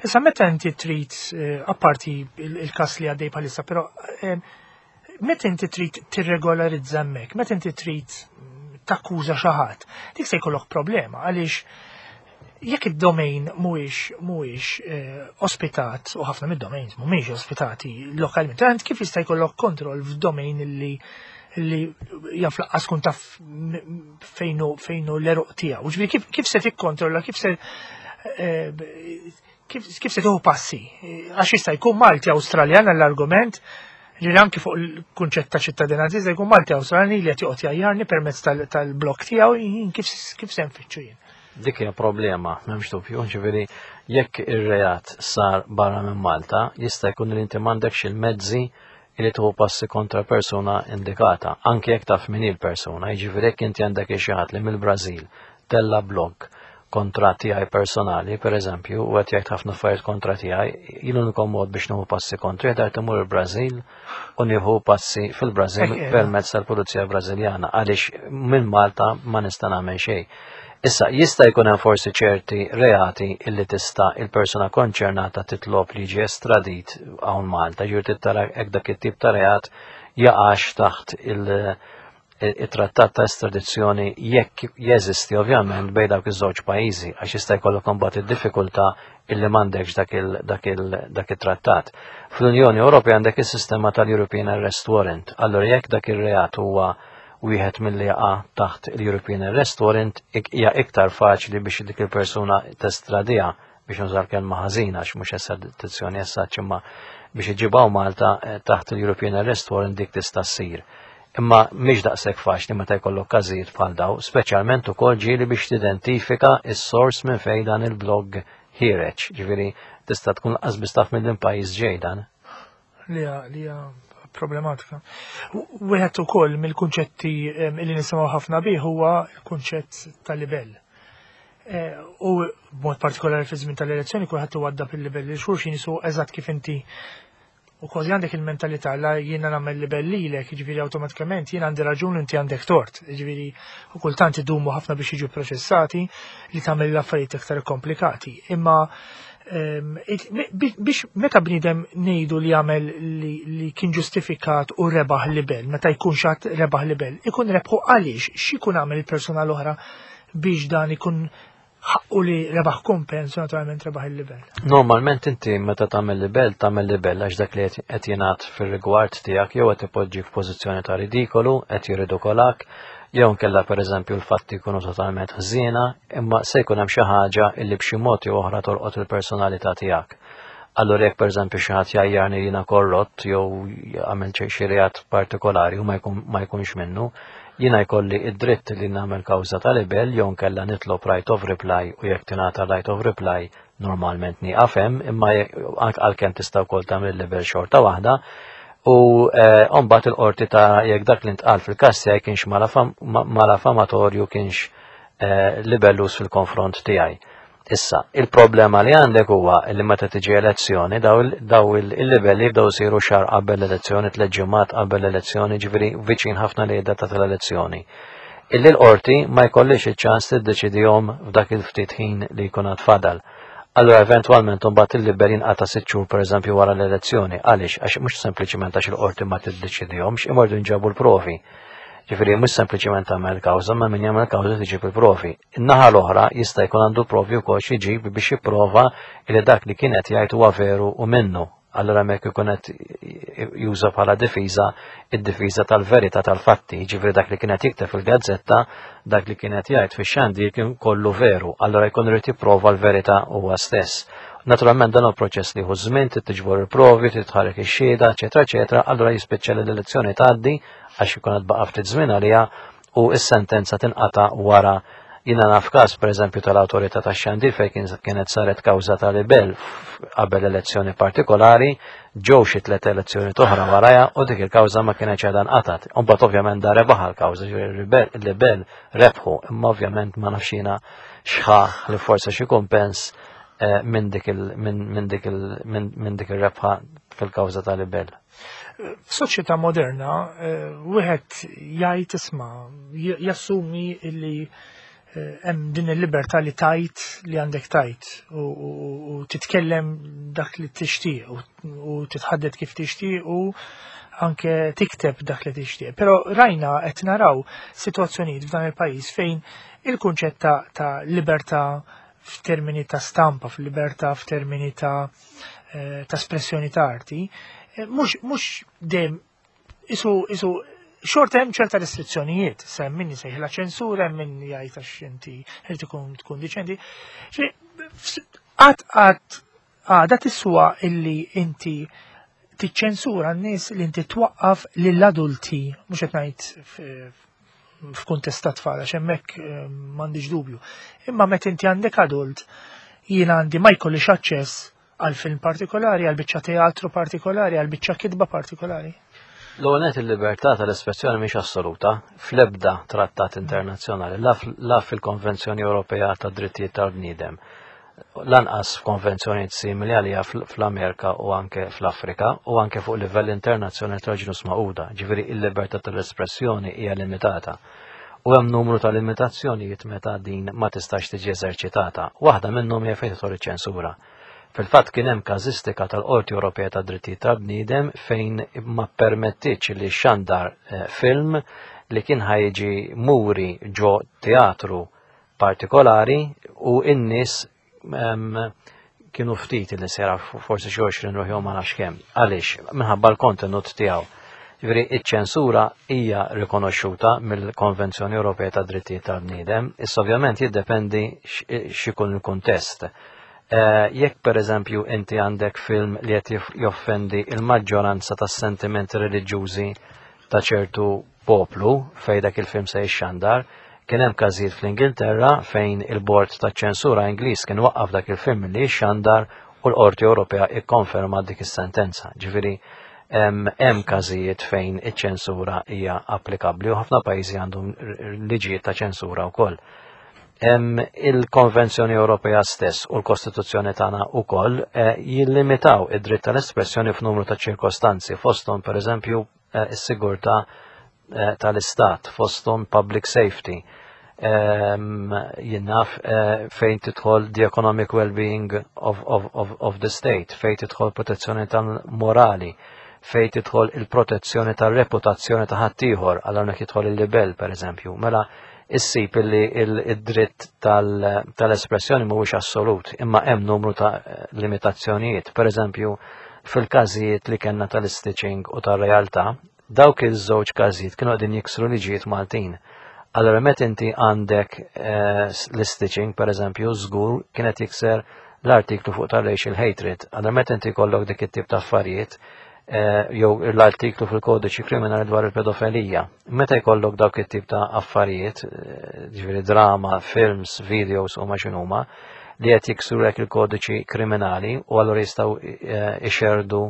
Issa meta inti trid eh, apparti il-każ li għaddej bħalissa, però eh, Meta inti trid tirregolarizza hemmhekk, meta inti trid takkuża xi ħadd, dik se jkollok problema għaliex jekk id-domain mhuwiex mhuwiex eh, ospitat u ħafna mid-domains mhumiex ospitati lokalment, int kif jista' jkollok kontroll f'domain li li jaf laqqas kun taf fejnu fejnu l-eruq tiegħu. Ġifieri kif, kif se tikkontrolla, kif se eh, Kif, kif se tieħu passi? Għax jista' jkun Malti Awstraljan għall-argument li anki fuq il-kunċett ta' ċittadinanza jista' jkun Malti Awstraljan li qed joqgħod jgħajjarni permezz tal-blok tiegħu kif kif se nfittxu jien. Dik hija problema, m'hemmx dubju, ġifieri jekk ir-reat sar barra minn Malta, jista' jkun li inti m'għandekx il-mezzi li tieħu passi kontra persuna indikata, anke jekk taf min hi l-persuna, jiġifieri jekk inti għandek xi ħadd li mill-Brażil tella' blog kontra tiegħi personali, per eżempju, u qed jgħid ħafna affarijiet kontra tiegħi, jien l-uniku mod biex nieħu passi kontra dar imur il-Brażil u nieħu passi fil-Brażil permezz tal-Pulizija Brażiljana għaliex minn Malta ma nista' nagħmel xejn. Issa, jista' jkun hemm forsi ċerti reati illi tista' il-persuna konċernata titlob li jiġi estradit hawn Malta, ġifieri tara hekk dak it-tip ta' reat jaqax taħt il- it-trattat ta' estradizzjoni jekk jeżisti ovvjament bejn dawk iż-żewġ pajjiżi għax jista' jkollok imbagħad id-diffikultà illi m'għandekx dak it-trattat. Fl-Unjoni Ewropea għandek is-sistema tal-European Arrest Warrant. Allura jekk dak ir-reat huwa wieħed milli jaqa' taħt il-European Arrest Warrant hija iktar faċli biex dik il-persuna testradija biex nuża l-kelma ħażina għax mhux estradizzjoni essaċ imma biex iġibgħu Malta eh, taħt il-European Arrest Warrant dik tista' ssir. Imma mhix daqshekk faċli meta jkollok każijiet bħal daw, speċjalment ukoll ġieli biex tidentifika s-sors minn fejn dan il-blog ħireġ. Ġifieri tista' tkun lanqas biss taf minn pajjiż ġej dan. Li hija problematika. Wieħed ukoll mill-kunċetti li nisimgħu ħafna bih huwa l-kunċett tal-libell. Eh, u b'mod partikolari fi żmien tal-elezzjoni kulħadd iwadda fil-libell li xulxin jisu eżatt kif inti U kważi għandek il-mentalità la jiena nagħmel libell lilek, jiġifieri awtomatikament jiena għandi raġun inti għandek tort. Jiġifieri u kultant idumu ħafna biex jiġu proċessati li tagħmel l-affarijiet iktar komplikati. Imma ehm, biex meta bniedem ngħidu li jagħmel li kien ġustifikat u rebaħ libel, meta jkun xatt rebaħ libel, ikun rebħu għaliex x'ikun għamel il-persuna l-oħra biex dan ikun ħaqqu li rebaħ kumpens u naturalment rebaħ il-libel. Normalment inti meta tagħmel libel, tagħmel libel għax dak li qed jingħad fir-rigward tiegħek jew qed ipoġġik f'pożizzjoni ta' ridikolu, qed jirridikolak, jew nkella pereżempju l-fatti jkunu totalment ħżiena, imma se jkun hemm xi ħaġa illi b'xi mod jew oħra tolqot il-personalità tiegħek. Allura jekk pereżempju xi ħadd jgħajjarni jiena korrott jew għamel xi reat partikolari u ma jkunx minnu, Jiena jkolli id-dritt li nagħmel kawża ta' libell jew nkella nitlob right of reply u jekk tingħata right of reply normalment nieqaf hemm imma għalkemm tista' wkoll tagħmel libell xorta waħda u eh, mbagħad il-qorti ta' jekk dak li ntqal fil-każ tiegħi kienx malafamatorju kienx eh, libellus fil-konfront tiegħi. Issa, il-problema li għandek huwa li meta tiġi elezzjoni daw il-livelli jibdew isiru xahar qabel l-elezzjoni, 3 ġimgħat qabel l-elezzjoni, ġifieri viċin ħafna li data tal-elezzjoni. Illi l-qorti ma jkollix iċ-ċans tiddeċidihom f'dak il-ftit ħin li jkun għad fadal. Allora eventwalment imbagħad il-libel jinqata' 6 xhur, pereżempju, wara l-elezzjoni. Għaliex? Għax mhux sempliċiment għax il-qorti ma tiddeċidihomx, imordu nġabu l-provi. Ġifieri mhux sempliċement tagħmel kawża, ma min jagħmel kawża tiġib il-provi. In-naħa l-oħra jista' jkun għandu provi wkoll xi jġib biex jipprova li dak li kien qed jgħid huwa veru u minnu. Allora hemmhekk ikun qed juża bħala difiża id-difiża tal-verità tal-fatti, ġifieri dak li kien qed jikteb fil-gazzetta, dak li kien qed jgħid fix-xandir kien kollu veru, allora jkun irid jipprova l-verità huwa stess. Naturalment dan hu proċess li jieħu żmien, trid tiġbor il-provi, trid tħarrek ix-xhieda, eċetera, eċetera, allura jispiċċa li l-elezzjoni tgħaddi għax ikun qed baqa' ftit żmien għaliha u s-sentenza tinqata' wara. Jiena naf każ, pereżempju, tal-Awtorità tax-Xandir fejn kienet saret kawża ta' libel qabel elezzjoni partikolari, ġew xi tliet elezzjoni oħra warajha u dik il-kawża ma kienx għadha nqatat. Imbagħad ovvjament da rebaħ l-kawża, il-libel rebħu, imma ovvjament ma nafx jiena x'ħa li forse xi kumpens minn dik il-rebħa fil-kawża ta' libel. F'soċjetà moderna, wieħed jgħid, isma', jassumi li hemm din il-libertà li tajt li għandek tajt u titkellem dak li tixtieq u titħaddet kif tixtieq u anke tikteb dak li tixtieq. Però rajna, qed naraw sitwazzjonijiet f'dan il-pajjiż fejn il-kunċett ta' libertà f'termini ta' stampa, f'libertà f'termini ta' espressjoni ta' arti, mhux dejjem isu xorta hemm ċerta restrizzjonijiet, hemm min jsejħilha ċensura, hemm min jgħid għax inti irid ikun tkun diċenti. Qatt għada tiswa illi inti tiċċensura n-nies, li inti twaqqaf lill-adulti, mhux qed ngħid f'kuntest ta' tfal, għax hemmhekk m'għandix dubju. Imma meta inti għandek adult, jiena għandi ma jkollix aċċess għal film partikolari, għal biċċa teatru partikolari, għal biċċa kitba partikolari. L-għonet, il-libertà tal-espressjoni mhix assoluta fl-ebda trattat internazzjonali, la fil-Konvenzjoni Ewropea ta' Drittijiet tal-Bniedem, lanqas f'konvenzjoni simili għalija fl-Amerika u anke fl-Afrika u anke fuq livell internazzjonali tal-Ġnus Magħquda. Ġifieri il-libertà tal-espressjoni hija limitata. U hemm numru ta' limitazzjonijiet meta din ma tistax tiġi eżerċitata. Waħda minnhom hija fejn tidħol iċ-ċensura. Fil-fatt kien hemm każistika tal-Qorti Ewropea ta' Drittijiet tal-Bniedem fejn ma permettitx li xandar film li kien ħa jiġi muri ġo teatru partikolari u n-nies kienu ftit li sera, forsi xi 20 ruħ jew ma nafx kemm. Għaliex? Minħabba l-kontenut tiegħu. Ġifieri iċ-ċensura hija rikonoxxuta mill-Konvenzjoni Ewropea ta' Drittijiet tal-Bniedem, issa ovvjament jiddependi x'ikun il-kuntest. Jekk pereżempju inti għandek film li qed joffendi il-maġġoranza tas-sentimenti reliġjużi ta' ċertu poplu fejn dak il-film se jixxandar, kien hemm każijiet fl-Ingilterra fejn il-bord ta' ċensura Ingliż kien waqqaf dak il-film li jixxandar u l-Qorti Ewropea ikkonferma dik is-sentenza. Ġifieri hemm każijiet fejn iċ-ċensura hija applikabbli u ħafna pajjiżi għandhom liġijiet ta' ċensura wkoll. Il-Konvenzjoni Ewropea stess u l-Kostituzzjoni tagħna wkoll jillimitaw id-dritt tal-espressjoni f'numru ta' ċirkostanzi, fosthom pereżempju is-sigurtà tal-istat, fosthom public safety. Jien naf, fejn tidħol the economic well-being of the state, fejn tidħol protezzjoni tal-morali, fejn tidħol il-protezzjoni tal-reputazzjoni ta' ħaddieħor, għal hawnhekk jidħol il-libel pereżempju. Mela issib illi id-dritt tal-espressjoni mhuwiex assolut, imma hemm numru ta' limitazzjonijiet. Per eżempju, fil-każijiet li kellna tal-stitching u tal-realtà, dawk iż-żewġ każijiet kienu qegħdin jiksru liġijiet Maltin. Allora meta inti għandek l-stitching, per eżempju, żgur kienet jikser l-artiklu fuq tal-racial hatred. Allora meta inti jkollok dik it-tip ta' affarijiet, jew l-artiklu fil-kodiċi kriminali dwar il-pedofilija. Meta jkollok dawk it-tip ta' affarijiet, ġifieri drama, films, videos u ma x'inhuma, li qed jiksru il-kodiċi kriminali u allura jistgħu ixerdu,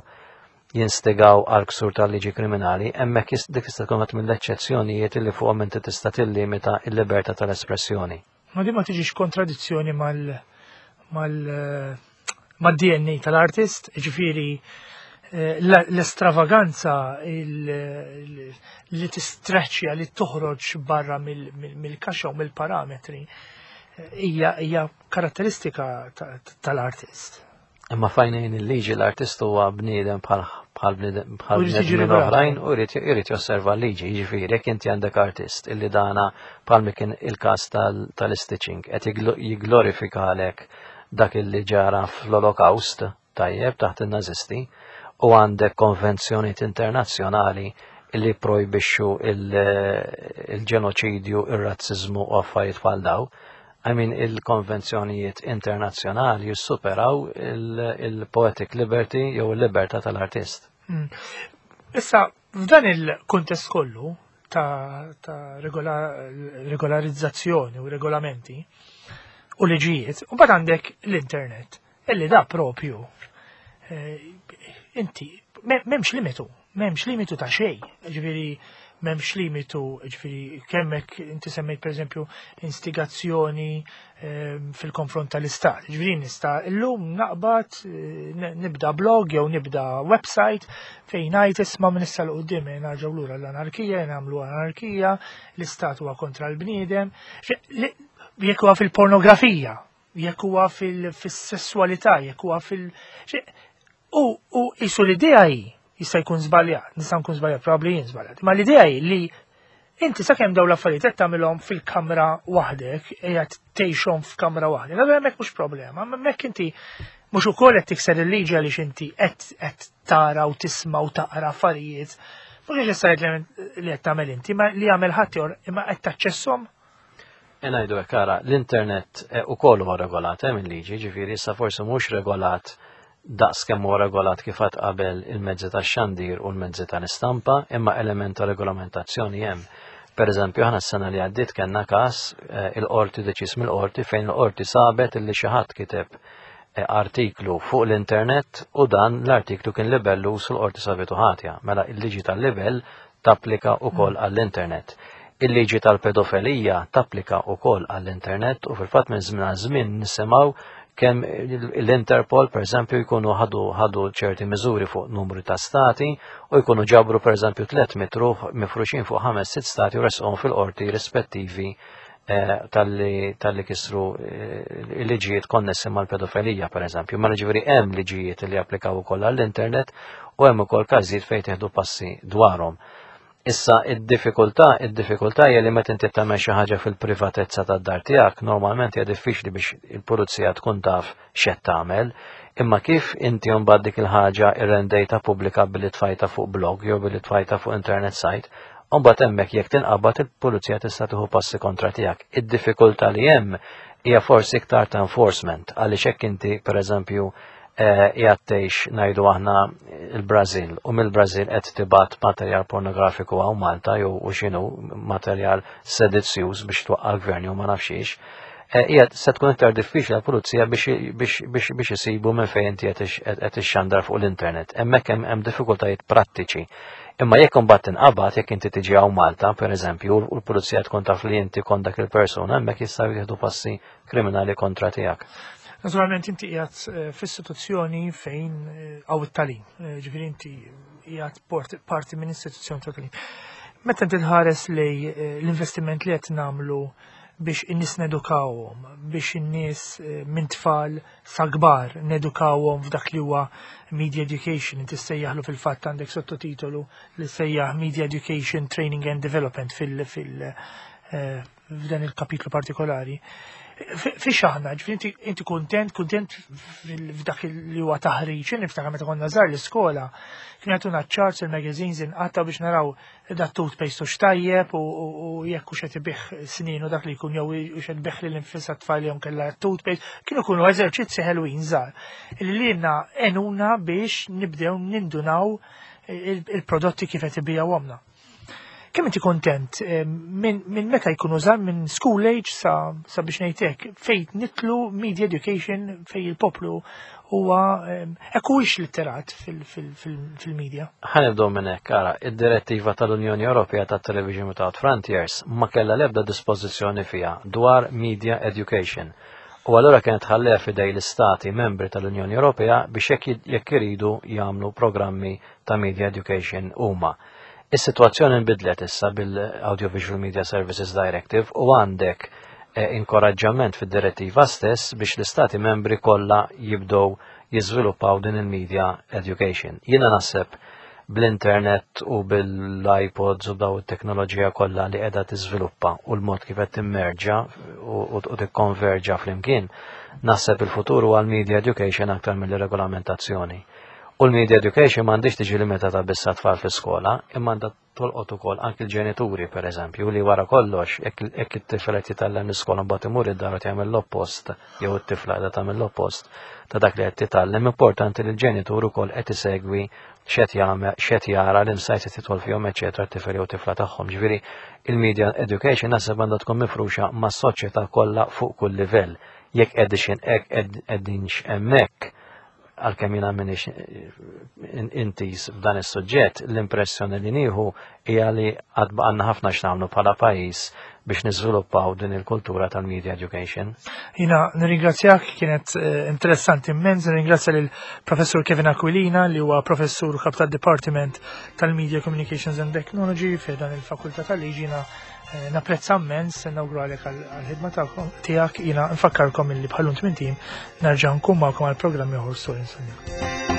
jinstigaw għal ksur tal-liġi kriminali, hemmhekk dik tista' tkun mill-eċċezzjonijiet li fuqhom inti tista' tillimita l-libertà tal-espressjoni. Ma di ma tiġix kontradizzjoni mal Mal-DNA tal-artist, ġifieri l-estravaganza li tistreċċja li toħroġ barra mill-kaxxa u mill-parametri hija karatteristika tal-artist. Imma f'għajnejn il-liġi l-artist huwa bniedem bħal bniedem oħrajn u jrid josserva l-liġi. Jiġifieri jekk inti għandek artist illi dana bħal kien il-każ tal-stitching qed jigglorifikalek dak illi ġara fl-Olokawst, tajjeb, taħt in-Nazisti, u għandek konvenzjonijiet internazzjonali illi projbixxu il-ġenoċidju, ir-razziżmu u affarijiet bħal daw. I mean, il-konvenzjonijiet internazzjonali jissuperaw il-poetic liberty jew il-libertà tal-artist. Issa, f'dan il-kuntest kollu ta' regolarizzazzjoni u regolamenti u liġijiet, u mbagħad għandek l-internet, illi da propju inti m'hemmx limitu, m'hemmx limitu ta' xejn, ġifieri m'hemmx limitu, ġifieri kemmek inti semmejt pereżempju instigazzjoni fil-konfront tal-istat. Ġifieri nista' illum naqbad nibda blog jew nibda website fejn ngħid, "Isma', minn issa 'l quddiem nerġgħu lura l-anarkija, nagħmlu anarkija, l-istat huwa kontra l-bniedem." Jekk huwa fil-pornografija, jekk huwa fil-sessualità, jekk huwa fil- U jisu l-idea hi, jista' jkun żbaljat, nista' nkun żbaljat, probabbli jien żbaljat, ma l-idea hi li inti sakemm dawn l-affarijiet qed tagħmilhom fil-kamra waħdek, qiegħed tgħixhom f'kamra waħdek, allura hemmhekk mhux problema, hemmhekk inti mhux ukoll qed tikser il-liġi għaliex inti qed tara u tisma' u taqra affarijiet mhux neċessarjament li qed tagħmel inti, ma li jagħmel ħadd, imma qed taċċesshom. Ngħidu hekk, ara, l-internet ukoll huwa regolat minn liġi, ġifieri issa forsi mhux regolat daqs kemm huwa regolat kif għad qabel il-mezzi tax-xandir u l-mezzi tal-istampa, imma element ta' regolamentazzjoni hemm. Per eżempju, aħna s-sena li għaddiet kellna każ il-qorti, deċiż mill-qorti, fejn il-qorti sabet illi xi ħadd kiteb artiklu fuq l-internet u dan l-artiklu kien libellu u l-qorti sabitu ħatja. Mela il-liġi tal-libel tapplika wkoll għall-internet. Il-liġi tal-pedofilija tapplika wkoll għall-internet u fil-fatt minn żmien għal żmien nisimgħu kemm l-Interpol, per eżempju, jkunu ħadu ċerti miżuri fuq numru ta' stati u jkunu ġabru, per eżempju, 300 ruħ mifruxin fuq ħames sitt stati u resqhom fil-qorti rispettivi talli kisru il-liġijiet konnessi mal-pedofilija, per eżempju. Ma ġifieri hemm liġijiet li applikaw ukoll għall-internet u hemm ukoll każijiet fejn tieħdu passi dwarhom. Issa id-diffikultà hija li meta inti tagħmel xi ħaġa fil-privatezza tad-dar tiegħek, normalment hija diffiċli biex il-pulizija tkun taf x'qed tagħmel, imma kif inti mbagħad dik il-ħaġa irrendejta pubblika billi tfajta fuq blog jew billi tfajta fuq internet site, mbagħad hemmhekk jekk tinqabad il-pulizija tista' tieħu passi kontra tiegħek. Id-diffikultà li hemm hija forsi iktar ta' enforcement, għaliex hekk inti, pereżempju, qiegħed tgħix, ngħidu aħna, il-Brażil u mill-Brażil qed tibgħat materjal pornografiku hawn Malta jew u x'inhu materjal sedizzjuż biex twaqqa' l-gvern jew ma nafxiex, hija se tkun iktar diffiċli għall-pulizija biex isibu minn fejn inti qed ixxandar fuq l-internet. Hemmhekk hemm diffikultajiet prattiċi. Imma jekk imbagħad tinqabad, jekk inti tiġi hawn Malta, pereżempju, u l-pulizija tkun taf li inti kont dak il-persuna, hemmhekk jistgħu jieħdu passi kriminali kontra tiegħek. Naturalment inti qiegħed f'istituzzjoni fejn hawn it-tagħlim, ġifieri inti qiegħed parti minn istituzzjoni ta' tagħlim. Meta inti tħares lej l-investiment li qed nagħmlu biex in-nies nedukawhom, biex in-nies minn tfal sa kbar nedukawhom f'dak li huwa media education, inti sejjaħlu, fil-fatt għandek sottotitolu li sejjaħ Media Education Training and Development fil, fil f'dan il-kapitlu partikolari. Fiex aħna, ġifieri inti kontent f'dak li huwa taħriġ? Niftakar meta konna żgħar l-iskola, kien jagħtuna charts, il-magazines inqatta biex naraw da toothpaste u x'tajjeb u jekk hux qed ibigħ snien u dak li jkun jew hux qed ibigħ lil infisha tfal jew kellha toothpaste, kienu jkunu eżerċizzi ħelwin żgħar li lilna għenuna biex nibdew nindunaw il-prodotti kif qed ibigħuhomna. Kemm inti kontent minn meta jkunu żgħar, minn school age sa biex ngħidlek fejn nidħlu media education, fejn il-poplu huwa hekk huwiex litterat fil-media? Ħa nibdew minn hekk, ara, id-direttiva tal-Unjoni Ewropea tat Television Without Frontiers ma kellha l-ebda dispożizzjoni fiha dwar media education. U allura kienet ħalleha f'idej l-istati membri tal-Unjoni Ewropea biex jekk iridu jagħmlu programmi ta' media education huma. Is-sitwazzjoni nbidlet issa bil-Audiovisual Media Services Directive u għandek eh, inkoraġġament fid-direttiva stess biex l-istati membri kollha jibdew jiżviluppaw din il-media education. Jiena naħseb bl-internet u bil-iPods u daw it-teknoloġija kollha li qiegħda tiżviluppa u l-mod kif qed timmerġa u tikkonverġa flimkien, naħseb il-futur huwa l-media education aktar mill-regolamentazzjoni. U l-media education m'għandix tiġi limitata biss tfal fl-iskola, imma għandha tolqot ukoll anki l-ġenituri pereżempju li wara kollox jekk it-tifel qed jitgħallem l-iskola mbagħad imur id-dar u jagħmel l-oppost jew it-tifla qiegħda tagħmel l-oppost ta' dak li qed titgħallem, importanti li l-ġenitur ukoll qed isegwi x'qed jagħmel, x'qed jara l-insights qed jidħol fihom eċetera t-tifel jew tifla tagħhom. Ġifieri il-media education naħseb għandha tkun mifruxa mas-soċjetà kollha fuq kull livell. Jekk qegħdin hekk qegħdinx hemmhekk għalkemm jiena m'iniex intiż f'dan is-suġġett, l-impressjoni li nieħu hija li għad baqgħalna ħafna x'nagħmlu bħala pajjiż biex niżviluppaw din il-kultura tal-media education. Jiena nirringrazzjak, kienet eh, interessanti immens, nirringrazzja lil professur Kevin Aquilina li huwa professur kap tad-Departiment tal-Media Communications and Technology fi dan il-Fakultà tal-Liġi jiena eh, napprezza immens, nawguralek għal-ħidma tiegħek, jiena nfakkarkom illi bħalun tmien tim nerġa' nkun magħkom għal programm ieħor Story Sunday.